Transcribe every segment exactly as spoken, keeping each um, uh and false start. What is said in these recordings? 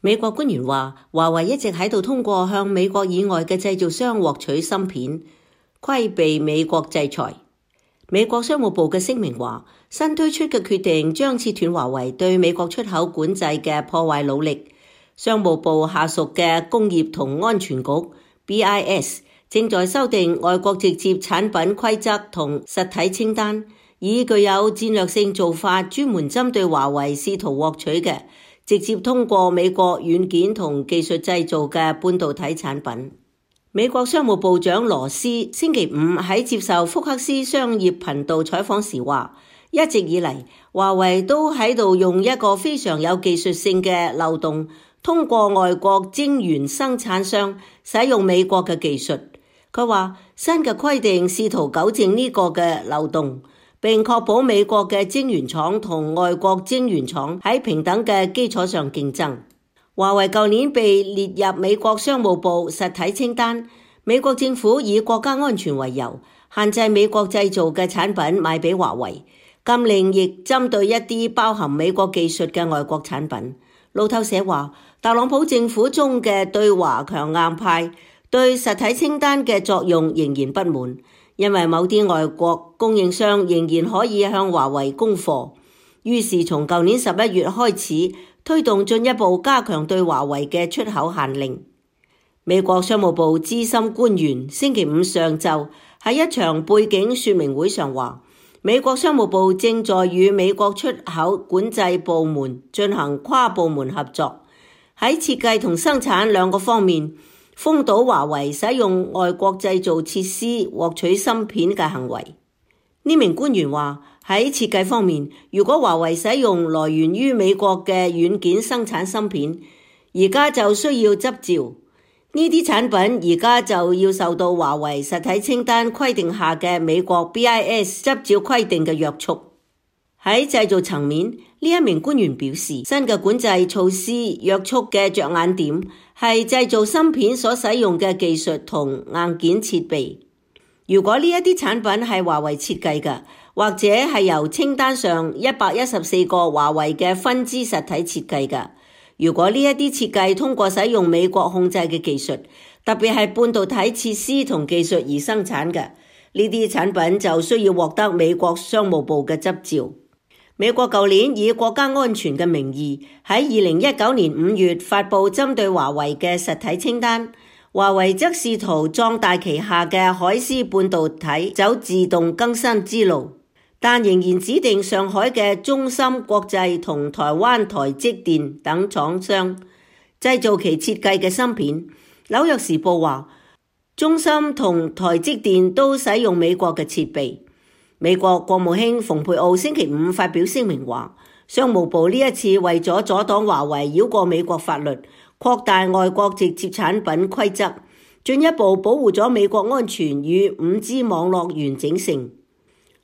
美國官員話，華為一直喺度通過向美國以外嘅製造商獲取芯片，規避美國制裁。美國商務部嘅聲明話，新推出嘅決定將切斷華為對美國出口管制嘅破壞努力。商務部下屬嘅工業同安全局 B I S 正在修訂外國直接產品規則同實體清單，以具有戰略性做法，專門針對華為試圖獲取嘅直接通過美國軟件同技術製造嘅半導體產品。美國商務部長羅斯星期五喺接受福克斯商業頻道採訪時話，一直以嚟華為都喺度用一個非常有技術性嘅漏洞，通過外國晶圓生產商使用美國嘅技術。佢話新嘅規定試圖糾正呢個嘅漏洞，並確保美國嘅晶圓廠同外國晶圓廠喺平等嘅基礎上競爭。華為舊年被列入美國商務部實體清單，美國政府以國家安全為由，限制美國製造嘅產品賣俾華為，禁令亦針對一啲包含美國技術嘅外國產品。路透社話，特朗普政府中嘅對華強硬派對實體清單嘅作用仍然不滿，因為某啲外國供應商仍然可以向華為供貨，於是從舊年十一月開始推動進一步加強對華為嘅出口限令。美國商務部資深官員星期五上晝喺一場背景說明會上話，美國商務部正在與美國出口管制部門進行跨部門合作，喺設計同生產兩個方面封堵華為使用外國製造設施獲取芯片嘅行為。呢名官員話，喺設計方面，如果華為使用來源於美國嘅軟件生產芯片，而家就需要執照。呢啲產品而家就要受到華為實體清單規定下嘅美國 B I S 執照規定嘅約束。喺製造層面，呢一名官員表示，新嘅管制措施約束嘅着眼點係製造芯片所使用嘅技術同硬件設備。如果呢一啲產品係華為設計嘅，或者係由清單上一百一十四個華為嘅分支實體設計嘅，如果呢一啲設計通過使用美國控制嘅技術，特別係半導體設施同技術而生產嘅，呢啲產品就需要獲得美國商務部嘅執照。美國舊年以國家安全嘅名義喺二零一九年五月發布針對華為嘅實體清單，華為則試圖壯大旗下嘅海思半導體走自動更新之路，但仍然指定上海嘅中芯國際同台灣台積電等廠商製造其設計嘅芯片。紐約時報話，中芯同台積電都使用美國嘅設備。美國國務卿蓬佩奧星期五發表聲明話，商務部呢一次為咗阻擋華為繞過美國法律，擴大外國直接產品規則，進一步保護咗美國安全與五 G 網絡完整性。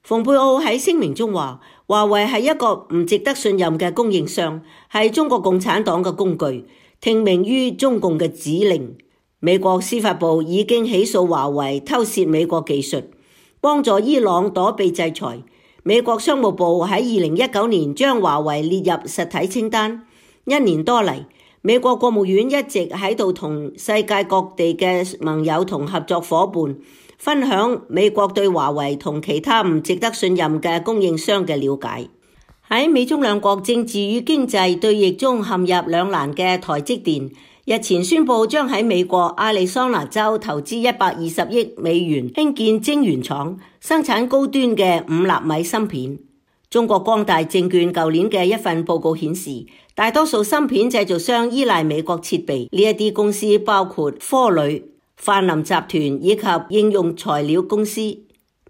蓬佩奧喺聲明中話，華為係一個唔值得信任嘅供應商，係中國共產黨嘅工具，聽命於中共嘅指令。美國司法部已經起訴華為偷竊美國技術，幫助伊朗躲避制裁。美國商務部喺二零一九年將華為列入實體清單。一年多嚟，美國國務院一直喺度同世界各地嘅盟友同合作夥伴分享美國對華為同其他唔值得信任嘅供應商嘅了解。喺美中兩國政治與經濟對弈中陷入兩難嘅台積電，日前宣布將喺美國亞利桑那州投資一百二十億美元興建晶圓廠，生產高端嘅五納米芯片。中國光大證券舊年嘅一份報告顯示，大多數芯片製造商依賴美國設備，呢一啲公司包括科磊、泛林集團以及應用材料公司。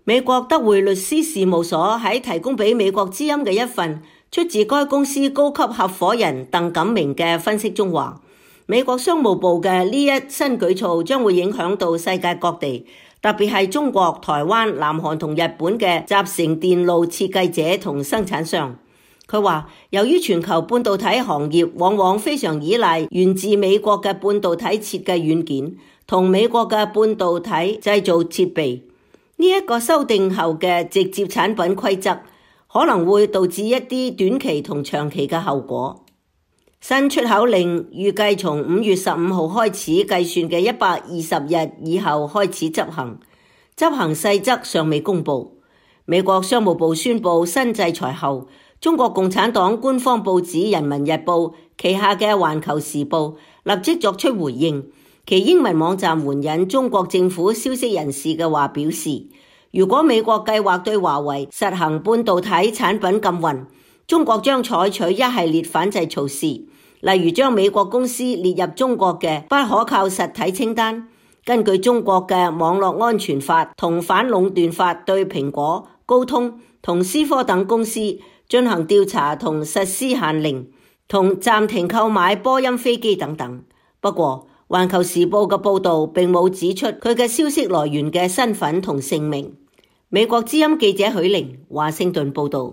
美國德匯律師事務所喺提供俾美國之音嘅一份出自該公司高級合夥人鄧錦明嘅分析中話，美國商務部嘅呢一新舉措將會影響到世界各地，特別係中國、台灣、南韓同日本嘅集成電路設計者同生產商。佢話，由於全球半導體行業往往非常依賴源自美國嘅半導體設計軟件同美國嘅半導體製造設備，呢、這、一個修訂後嘅直接產品規則可能會導致一啲短期同長期嘅後果。新出口令預計從五月十五號開始計算嘅一百二十日以後開始執行，執行細則尚未公布。美國商務部宣布新制裁後，中國共產黨官方報紙《人民日報》旗下嘅《環球時報》立即作出回應，其英文網站援引中國政府消息人士嘅話表示，如果美國計劃對華為實行半導體產品禁運，中國將採取一系列反制措施，例如將美國公司列入中國嘅不可靠實體清單，根據中國嘅網絡安全法同反壟斷法對蘋果、高通同思科等公司進行調查同實施限令，同暫停購買波音飛機等等。不過，環球時報嘅報導並冇指出佢嘅消息來源嘅身份同姓名。美國之音記者許玲，華盛頓報導。